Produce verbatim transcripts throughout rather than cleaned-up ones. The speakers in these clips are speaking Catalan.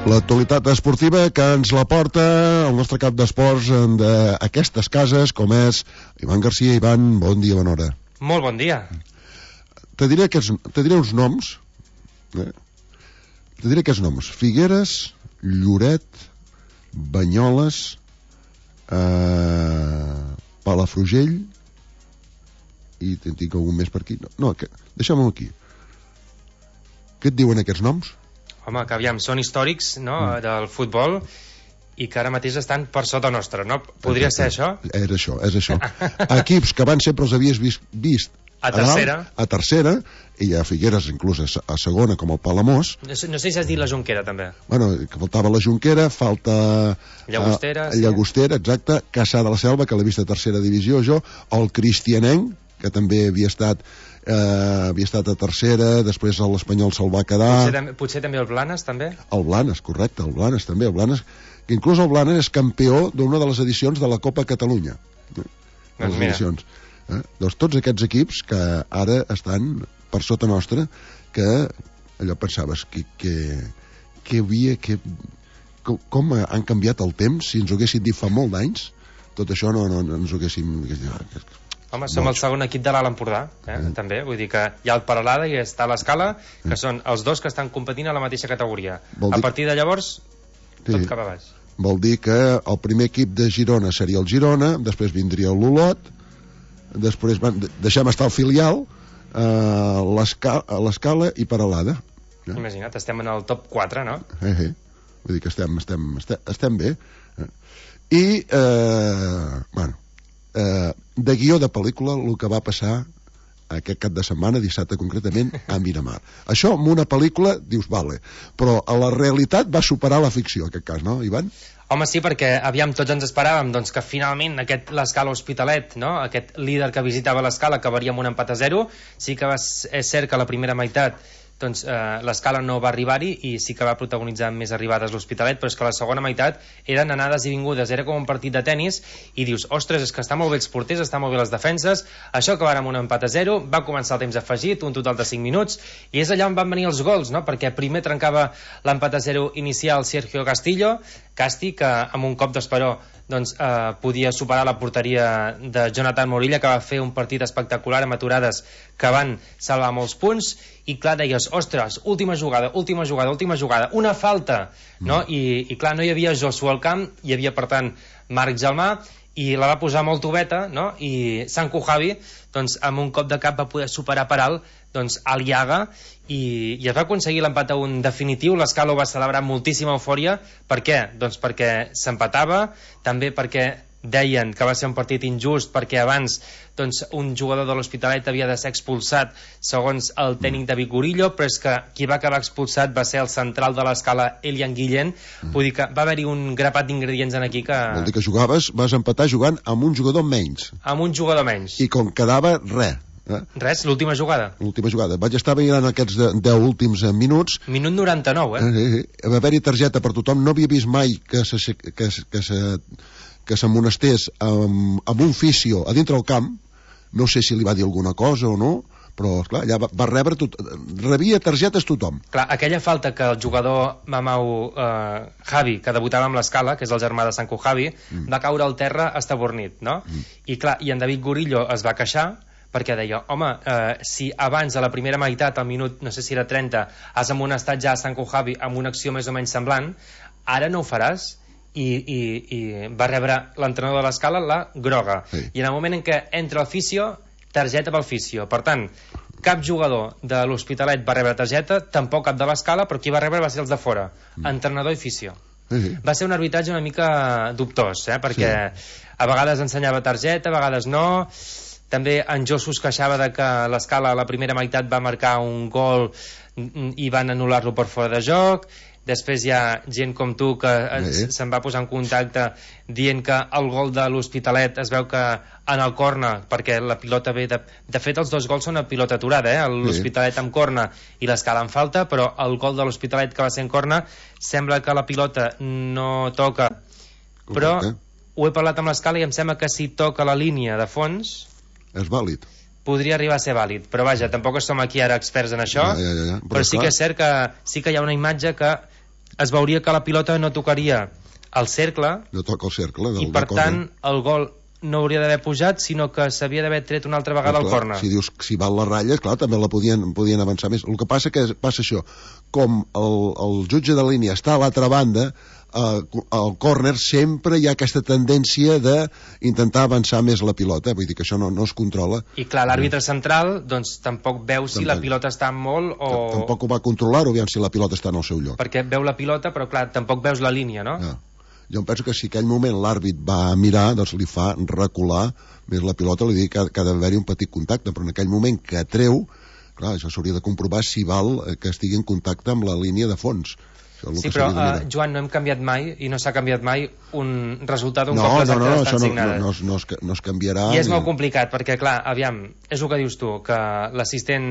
L'actualitat esportiva que ens la porta el nostre cap d'esports d'aquestes cases, com és Ivan Garcia. Ivan, bon dia, bona hora. Molt bon dia. Te diré, aquests, te diré uns noms. Eh? Te diré aquests noms. Figueres, Lloret, Banyoles, eh, Palafrugell, i en tinc algun més per aquí. No, no que, deixem-ho aquí. Què et diuen aquests noms? Home, que aviam, són històrics, no?, mm. del futbol, i que ara mateix estan per sota nostra, no? Podria ser això? És això, és això. Equips que van sempre els havies vist, vist a tercera, a, a tercera, i a Figueres inclús a, a segona, com el Palamós. No sé, no sé si has dit la Jonquera, també. Bueno, que faltava la Jonquera, falta... Llagostera. Uh, Llagostera, exacte, Caçà de la Selva, que l'he vist a tercera divisió, jo, el Cristianenc, que també havia estat... Uh, havia estat a tercera, després l'Espanyol se'l va quedar. Potser, potser també el Blanes, també? El Blanes, correcte, el Blanes també, el Blanes, que inclús el Blanes és campió d'una de les edicions de la Copa Catalunya. Eh? Doncs mira. Edicions. Eh? Doncs tots aquests equips que ara estan per sota nostra, que allò pensaves que, que, que havia, que, com han canviat el temps, si ens ho haguessin dit fa molt d'anys, tot això no, no, no ens ho haguéssim... Home, som el segon equip de l'Alt Empordà, eh? mm. també, vull dir que hi ha el Paralada i està l'Escala, que mm. són els dos que estan competint a la mateixa categoria. Vol a partir de llavors, sí. tot cap a baix. Vol dir que el primer equip de Girona seria el Girona, després vindria l'Olot, després van, deixem estar el filial, eh, l'Escala i Paralada. Eh? Imagina't, estem en el top quatre, no? Eh, eh. Vull dir que estem, estem, estem, estem bé. Eh? I, eh, bueno, eh, de guió de pel·lícula el que va passar aquest cap de setmana, dissabte concretament, a Miramar. Això en una pel·lícula dius, vale, però a la realitat va superar la ficció, en aquest cas, no, Ivan? Home, sí, perquè aviam, tots ens esperàvem doncs, que finalment aquest l'Escala Hospitalet, no? Aquest líder que visitava l'Escala acabaria amb un empat a zero. Sí que va, és cert que la primera meitat doncs eh, l'Escala no va arribar-hi i sí que va protagonitzar més arribades l'Hospitalet, però és que la segona meitat eren anades i vingudes, era com un partit de tennis i dius, ostres, és que està molt bé els porters, està molt bé les defenses, això acabarà amb un empat a zero, va començar el temps afegit, un total de cinc minuts, i és allà on van venir els gols, no? Perquè primer trencava l'empat a zero inicial Sergio Castillo, Casti, que amb un cop d'esperó doncs, eh, podia superar la porteria de Jonathan Morilla, que va fer un partit espectacular amb aturades que van salvar molts punts, i clar, deies, ostres, última jugada, última jugada, última jugada, una falta, no? Mm. I, i clar, no hi havia Josué al camp, hi havia, per tant, Marc Gelmà, i la va posar molt tubeta, no? I Sanku Javi, doncs, amb un cop de cap va poder superar per alt, doncs, Aliaga, i, i es va aconseguir l'empat a un definitiu. l'Escala ho va celebrar amb moltíssima eufòria. Per què? Doncs perquè s'empatava, també perquè deien que va ser un partit injust, perquè abans doncs, un jugador de l'Hospitalet havia de ser expulsat segons el tècnic David Gurillo, però és que qui va acabar expulsat va ser el central de l'Escala, Elian Guillén. Mm. Vull dir que va haver-hi un grapat d'ingredients en aquí que... Vol dir que jugaves, vas empatar jugant amb un jugador menys. Amb un jugador menys. I com quedava, res. Eh? Res, l'última jugada. L'última jugada. Vaig estar veient aquests deu últims minuts. Minut noranta-nou, eh? eh, eh va haver-hi targeta per tothom. No havia vist mai que se, que, que se, que s'amonestés amb, amb un fisio a dintre del camp. No sé si li va dir alguna cosa o no, però esclar, allà va, va rebre tot, rebia targetes tothom. Clar, aquella falta que el jugador Mamau eh, Javi, que debutava amb l'Escala, que és el germà de Sanku Javi, mm. va caure al terra estabornit, no? Mm. I clar, i en David Gurillo es va queixar perquè deia, home, eh, si abans a la primera meitat, al minut, no sé si era trenta, has amonestat ja a Sanku Javi amb una acció més o menys semblant, ara no ho faràs. I, i, i va rebre l'entrenador de l'Escala la groga, sí. I en el moment en què entra el fisio, targeta pel fisio. Per tant, cap jugador de l'Hospitalet va rebre targeta, tampoc cap de l'Escala, però qui va rebre va ser els de fora, mm. entrenador i fisio. Sí, sí. Va ser un arbitratge una mica dubtós, eh? Perquè sí. A vegades ensenyava targeta, a vegades no. També en Josu es queixava de que l'Escala a la primera meitat va marcar un gol i van anul·lar-lo per fora de joc. Després hi ha gent com tu que sí. se'n va posar en contacte dient que el gol de l'Hospitalet es veu que en el corna, perquè la pilota ve de... De fet, els dos gols són a pilota aturada, eh? L'Hospitalet amb corna i l'Escala en falta, però el gol de l'Hospitalet que va ser en corna sembla que la pilota no toca. Però ho he parlat amb l'Escala i em sembla que si toca la línia de fons... És vàlid. Podria arribar a ser vàlid, però vaja, tampoc som aquí ara experts en això, ja, ja, ja, ja. Però, però sí que és cert que sí que hi ha una imatge que es veuria que la pilota no tocaria el cercle, no toca el cercle del, i per del tant el gol no hauria d'haver pujat, sinó que s'havia d'haver tret una altra vegada al córner. Si dius si val la ratlla, clar, també la podien, podien avançar més. El que passa que passa això, com el, el jutge de línia està a l'altra banda, eh, al córner sempre hi ha aquesta tendència d'intentar avançar més la pilota, vull dir que això no, no es controla. I clar, l'àrbitre central doncs tampoc veu si tampoc. la pilota està molt o... Tampoc ho va controlar-ho, aviam si la pilota està en el seu lloc. Perquè veu la pilota, però clar, tampoc veus la línia, no? Ja. Jo em penso que si aquell moment l'àrbit va mirar, doncs li fa recular més la pilota, li dic que, que ha d'haver-hi un petit contacte, però en aquell moment que treu, clar, això s'hauria de comprovar si val que estigui en contacte amb la línia de fons. Sí, però, uh, Joan, no hem canviat mai i no s'ha canviat mai un resultat un no, cop les no, no, actes no, estan no, signades. No, no, no, es, no es canviarà. I és ni... molt complicat, perquè, clar, aviam, és el que dius tu, que l'assistent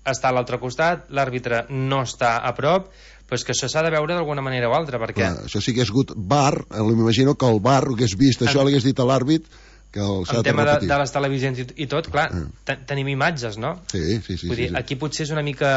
està a l'altre costat, l'àrbitre no està a prop, però és que això s'ha de veure d'alguna manera o altra, perquè... Clar, això sí que hagués hagut V A R, m'imagino que el V A R hagués vist això, en... li hagués dit a l'àrbit que el s'ha de repetir. En tema de, de les televisions i, i tot, clar, eh. tenim imatges, no? Sí, sí, sí. Vull sí, dir, sí. aquí potser és una mica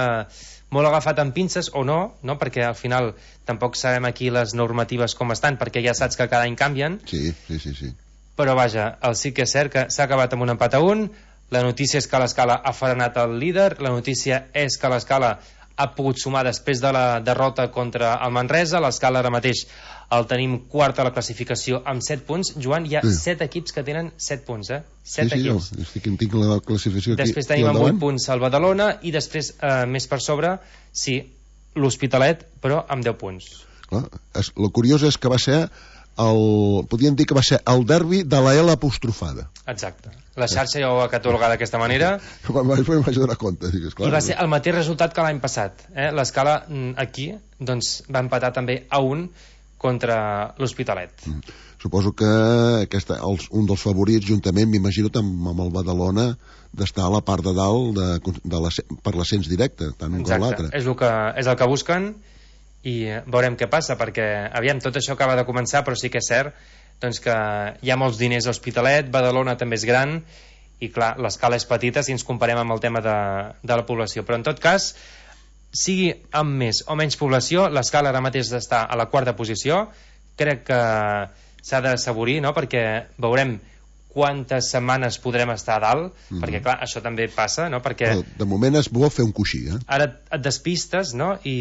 molt agafat amb pinces, o no, no? Perquè al final tampoc sabem aquí les normatives com estan, perquè ja saps que cada any canvien. Sí, sí, sí, sí. Però vaja, el sí que és cert que s'ha acabat amb un empat a un, la notícia és que l'Escala ha frenat el líder, la notícia és que l'Escala ha pogut sumar després de la derrota contra el Manresa. L'Escala ara mateix el tenim quart a la classificació amb set punts. Joan, hi ha sí. set equips que tenen set punts, eh? set sí, sí, equips. Jo, estic, tinc la classificació aquí. Després tenim amb vuit punts el Badalona i després, eh, més per sobre, sí, l'Hospitalet, però amb deu punts. Clar, és, el curiós és que va ser el, podríem dir que va ser el derbi de la L apostrofada. Exacte. La xarxa ja ho va catalogar d'aquesta manera. Quan vaig fer vaig donar compte. Digues, clar, I va ser el mateix resultat que l'any passat. Eh? L'Escala aquí doncs, va empatar també a un contra l'Hospitalet. Mm. Suposo que aquesta, els, un dels favorits, juntament, m'imagino, amb, amb el Badalona, d'estar a la part de dalt de, de la, per l'ascens directe, tant un com l'altre. És, el que, és el que busquen i veurem què passa, perquè aviam, tot això acaba de començar, però sí que és cert doncs, que hi ha molts diners a Hospitalet, Badalona també és gran i clar, l'escala és petita si ens comparem amb el tema de, de la població, però en tot cas sigui amb més o menys població, l'escala ara mateix està a la quarta posició. Crec que s'ha d'assaborir, no? Perquè veurem quantes setmanes podrem estar a dalt, mm-hmm. perquè clar, això també passa, no? Perquè però de moment és bo fer un coixí, eh? Ara et despistes, no? I,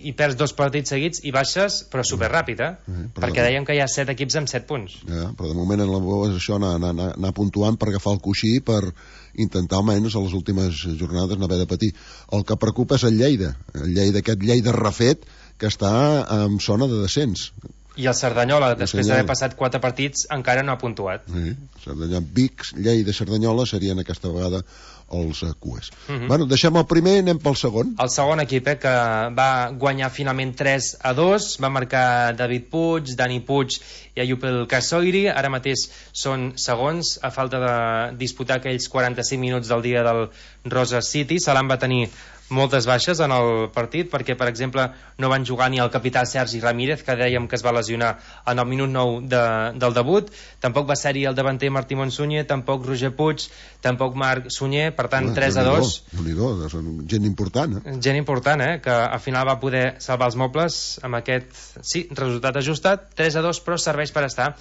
i perds dos partits seguits i baixes, però superràpid, eh? Mm-hmm. Perquè dèiem que hi ha set equips amb set punts. Ja, però de moment en la bo és això, anar, anar, anar puntuant per agafar el coixí, per intentar almenys a les últimes jornades no haver de patir. El que preocupa és el Lleida, el Lleida, aquest Lleida refet que està en zona de descens. I el Cerdanyola, després d'haver passat quatre partits, encara no ha puntuat. Sí, Cerdanyola, Vic, Lleida, Cerdanyola serien aquesta vegada els uh, cues. Uh -huh. Bueno, deixem el primer i anem pel segon. El segon equip, eh, que va guanyar finalment tres a dos, va marcar David Puig, Dani Puig i Ayub El Kassoiri. Ara mateix són segons, a falta de disputar aquells quaranta-cinc minuts del dia del Rosa City. Salam va tenir moltes baixes en el partit, perquè per exemple no van jugar ni el capità Sergi Ramírez, que dèiem que es va lesionar en el minut nou de, del debut, tampoc va ser-hi el davanter Martí Monsunyer, tampoc Roger Puig, tampoc Marc Sunyer, per tant tres a dos. Déu-n'hi-do, són gent important, eh? Gent important, eh? Que al final va poder salvar els mobles amb aquest, sí, resultat ajustat, tres a dos, però serveix per estar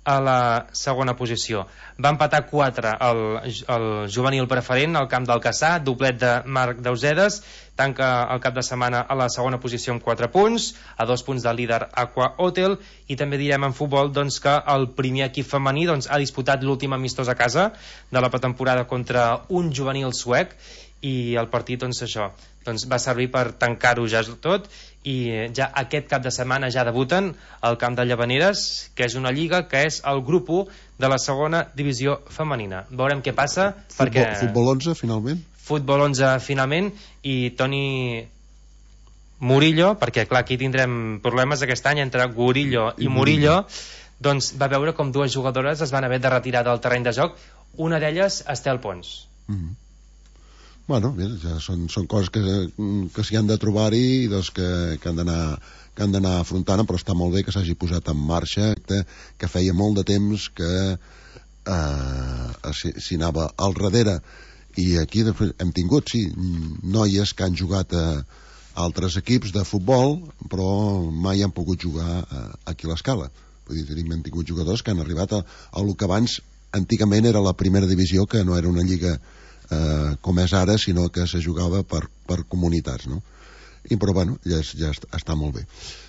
a la segona posició. Va empatar quatre el, el juvenil preferent al camp del Cassà, doblet de Marc Dausedes, tanca el cap de setmana a la segona posició amb quatre punts, a dos punts del líder Aqua Hotel, i també direm en futbol doncs, que el primer equip femení doncs, ha disputat l'últim amistós a casa de la pretemporada contra un juvenil suec, i el partit doncs això doncs, va servir per tancar-ho ja tot, i ja aquest cap de setmana ja debuten al camp de Llavaneres, que és una lliga que és el grup u de la segona divisió femenina. Veurem què passa. Futbol, perquè... futbol onze finalment? Futbol onze finalment, i Toni Murillo, perquè clar, aquí tindrem problemes aquest any entre Gurillo i, I Murillo, doncs va veure com dues jugadores es van haver de retirar del terreny de joc, una d'elles Estel Pons. Mm-hmm. Bueno, bé, ja són, són coses que, que s'hi han de trobar-hi i doncs que, que han d'anar que han d'anar afrontant, però està molt bé que s'hagi posat en marxa, que, que feia molt de temps que eh, s'hi anava al darrere, i aquí hem tingut, sí, noies que han jugat a, altres equips de futbol, però mai han pogut jugar aquí a l'Escala. Vull dir, tenim hem tingut jugadors que han arribat a, a el que abans antigament era la primera divisió, que no era una lliga eh, com és ara, sinó que se jugava per, per comunitats, no? I, però bueno, ja, és, ja està, està molt bé.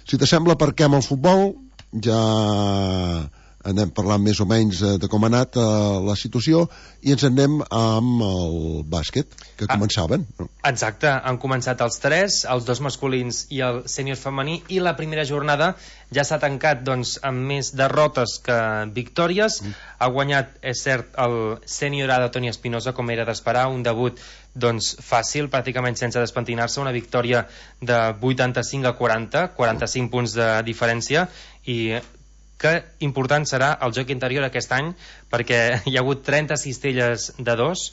Si t'assembla, aparquem el futbol, ja anem parlant més o menys de com ha anat eh, la situació, i ens anem amb el bàsquet, que ah, començaven, no? Exacte, han començat els tres, els dos masculins i el sènior femení, i la primera jornada ja s'ha tancat doncs, amb més derrotes que victòries. Mm. Ha guanyat, és cert, el sènior A de Toni Espinosa, com era d'esperar, un debut doncs, fàcil, pràcticament sense despentinar-se, una victòria de vuitanta-cinc a quaranta, quaranta-cinc punts de diferència, i que important serà el joc interior aquest any, perquè hi ha hagut trenta cistelles de dos,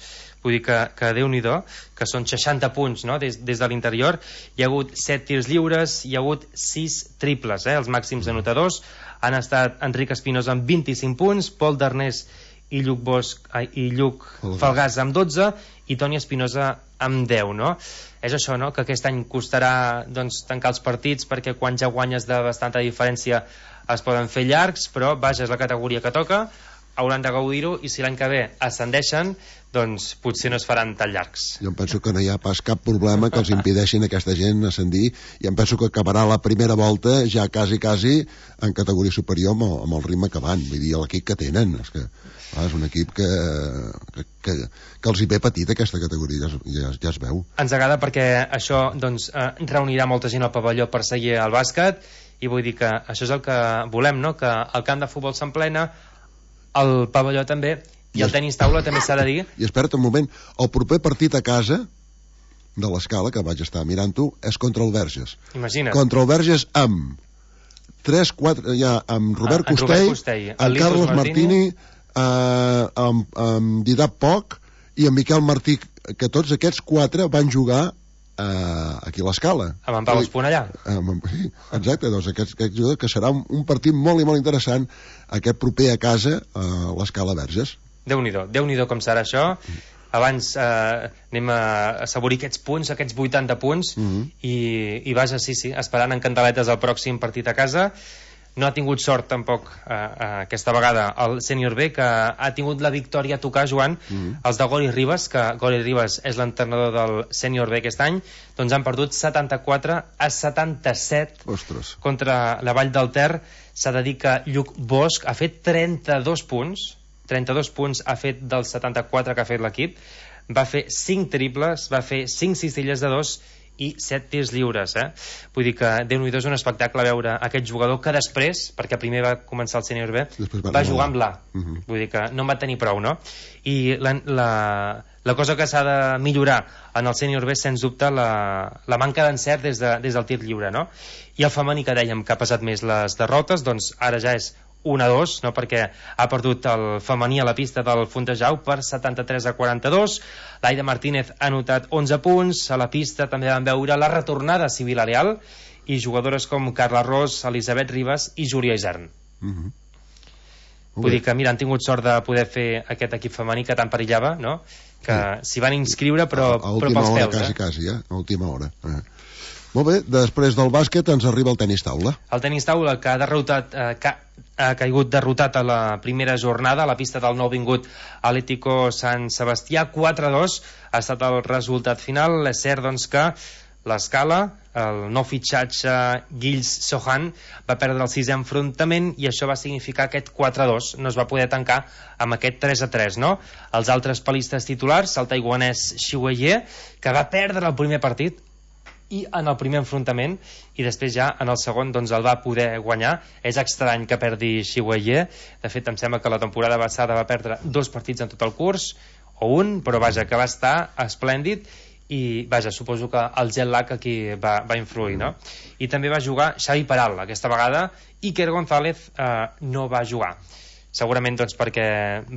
vull dir que, que Déu-n'hi-do, que són seixanta punts, no? des, des de l'interior. Hi ha hagut set tirs lliures, hi ha hagut sis triples, eh? Els màxims anotadors han estat Enric Espinosa amb vint-i-cinc punts, Pol Darnés i Lluc Bosch ai, i Lluc Falgàs amb dotze, i Toni Espinosa amb deu, no? És això, no?, que aquest any costarà doncs, tancar els partits, perquè quan ja guanyes de bastanta diferència es poden fer llargs, però vaja, és la categoria que toca, hauran de gaudir-ho, i si l'any que ve ascendeixen, doncs potser no es faran tan llargs. Jo em penso que no hi ha pas cap problema que els impedeixin a aquesta gent ascendir, i em penso que acabarà la primera volta ja quasi, quasi en categoria superior amb el, amb el ritme que van, vull dir, l'equip que tenen, és que ah, és un equip que, que, que, que els hi ve petit aquesta categoria, ja, ja, ja es veu. Ens agrada perquè això doncs, eh, reunirà molta gent al pavelló per seguir el bàsquet, i vull dir que això és el que volem, no?, que el camp de futbol s'emplena, el pavelló també, i, I el es... tenis taula també s'ha de dir. I espera't un moment, el proper partit a casa de l'Escala, que vaig estar mirant-ho, és contra el Verges. Imagina't. Contra el Verges amb tres quatre, ja, amb Robert ah, Costell, Robert Costell, amb Carles Martini, eh, amb, amb Didac Poch i amb Miquel Martí, que tots aquests quatre van jugar Uh, aquí a l'Escala. Amb en Pau Esponellà. Um, sí, exacte, doncs aquest, aquest que serà un, un partit molt i molt interessant aquest proper a casa a uh, l'Escala Verges. Déu-n'hi-do, Déu-n'hi-do com serà això. Abans eh, anem a assaborir aquests punts, aquests vuitanta punts, mm -hmm. i, i vaja, sí, sí, esperant en candeletes el pròxim partit a casa. No ha tingut sort tampoc eh, eh, aquesta vegada el sènior B, que ha tingut la victòria a tocar, Joan, mm -hmm. els de Gori Ribas, que Gori Ribas és l'entrenador del sènior B aquest any, doncs han perdut setanta-quatre a setanta-set. Ostres. Contra la Vall del Ter. S'ha de dir que Lluc Bosch ha fet trenta-dos punts, trenta-dos punts ha fet dels setanta-quatre que ha fet l'equip, va fer cinc triples, va fer cinc cistelles de dos i set tirs lliures, eh? Vull dir que Déu-n'hi-do, és un espectacle veure aquest jugador que després, perquè primer va començar el sènior B, va, va jugar amb l'A. Uh -huh. Vull dir que no en va tenir prou, no? I la, la, la cosa que s'ha de millorar en el sènior B, sens dubte, la, la manca d'encert des, de, des del tir lliure, no? I el femení, que dèiem que ha passat més les derrotes, doncs ara ja és un a dos, no? Perquè ha perdut el femení a la pista del Fontejau per setanta-tres a quaranta-dos. L'Aida Martínez ha anotat onze punts. A la pista també vam veure la retornada a Vila-real i jugadores com Carla Ros, Elisabet Ribas i Júlia Isern. Uh -huh. Vull dir que, mira, han tingut sort de poder fer aquest equip femení que tant perillava, no? Que s'hi van inscriure, però, a, a però pels hora, peus, quasi, eh? quasi, eh? A última hora. Eh. Molt bé, després del bàsquet ens arriba el tenis taula. El tenis taula, que ha derrotat, eh, que ha caigut derrotat a la primera jornada a la pista del nou vingut Atlético Sant Sebastià, quatre a dos ha estat el resultat final. És cert, doncs, que l'Escala, el nou fitxatge Gilles Sohan, va perdre el sisè enfrontament, i això va significar aquest quatre a dos, no es va poder tancar amb aquest tres a tres, no? Els altres palistes titulars, el taiwanès Xi Weihai, que va perdre el primer partit i en el primer enfrontament, i després ja en el segon doncs el va poder guanyar. És estrany que perdi Xi Weihai, de fet em sembla que la temporada passada va perdre dos partits en tot el curs, o un, però vaja, que va estar esplèndid, i vaja, suposo que el jet lag aquí va, va influir, no? I també va jugar Xavi Peral aquesta vegada, i Iker González eh, no va jugar. segurament doncs perquè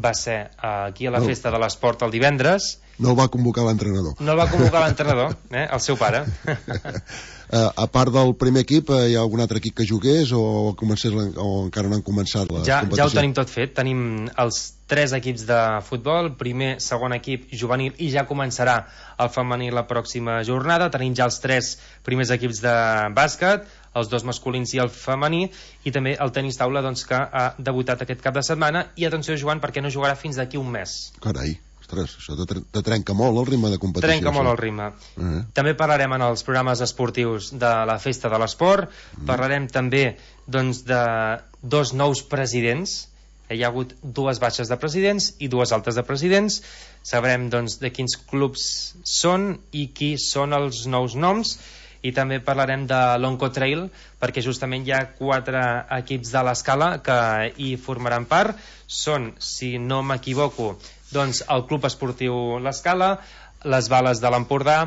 va ser aquí a la festa de l'esport el divendres. No el va convocar l'entrenador. No el va convocar l'entrenador, eh? El seu pare. Uh, a part del primer equip, uh, hi ha algun altre equip que jugués o, comencés, o encara no han començat la ja, competició? Ja ho tenim tot fet. Tenim els tres equips de futbol, primer, segon equip juvenil, i ja començarà el femení la pròxima jornada. Tenim ja els tres primers equips de bàsquet, els dos masculins i el femení, i també el tenis taula, doncs, que ha debutat aquest cap de setmana. I atenció, Joan, perquè no jugarà fins d'aquí un mes. Carai, ostres, això te, te trenca molt el ritme de competició. Trenca molt això. el ritme. Uh-huh. També parlarem en els programes esportius de la Festa de l'Esport. Uh-huh. Parlarem també, doncs, de dos nous presidents. Hi ha hagut dues baixes de presidents i dues altes de presidents. Sabrem, doncs, de quins clubs són i qui són els nous noms. I també parlarem de l'Oncotrail, perquè justament hi ha quatre equips de l'Escala que hi formaran part. Són, si no m'equivoco, doncs el Club Esportiu l'Escala, les Bales de l'Empordà,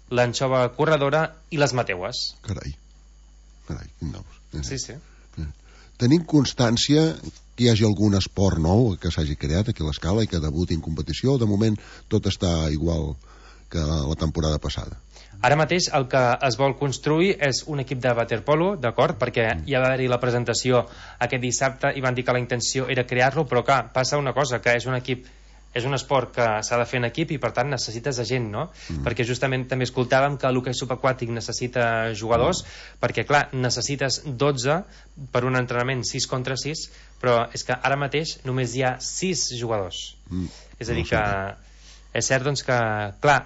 l'Anxova Corredora i les Mateues. Carai, carai, quin nous. Sí, sí. Tenim constància que hi hagi algun esport nou que s'hagi creat aquí a l'Escala i que debuti en competició, o de moment tot està igual que la temporada passada? Ara mateix el que es vol construir és un equip de waterpolo, d'acord? Perquè hi va haver-hi la presentació aquest dissabte i van dir que la intenció era crear-lo, però clar, passa una cosa, que és un equip, és un esport que s'ha de fer en equip i per tant necessites de gent, no? Mm. Perquè justament també escoltàvem que l'hoquei subaquàtic necessita jugadors, mm. perquè clar, necessites dotze per un entrenament sis contra sis, però és que ara mateix només hi ha sis jugadors. Mm. És a dir que és cert, doncs, que clar,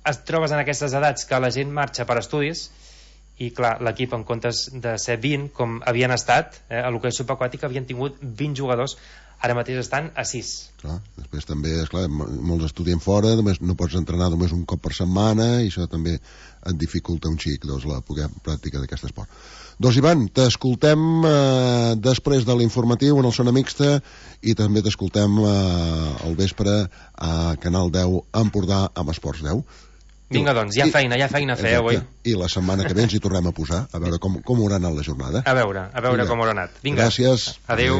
es trobes en aquestes edats que la gent marxa per estudis i clar, l'equip en comptes de ser vint com havien estat, eh, a l'hoquei subaquàtic havien tingut vint jugadors, ara mateix estan a sis. Clar, després també, esclar, molts estudien fora, només no pots entrenar només un cop per setmana i això també et dificulta un xic, doncs, la pràctica d'aquest esport. Doncs Ivan, t'escoltem eh, després de l'informatiu en el Zona Mixta i també t'escoltem eh, al vespre a Canal deu Empordà amb Esports deu. Vinga, doncs, hi ha feina, hi ha feina a fer avui. I la setmana que ve ens hi tornem a posar, a veure com, com haurà anat la jornada. A veure, a veure Vinga. com haurà anat. Vinga. Gràcies. Adéu.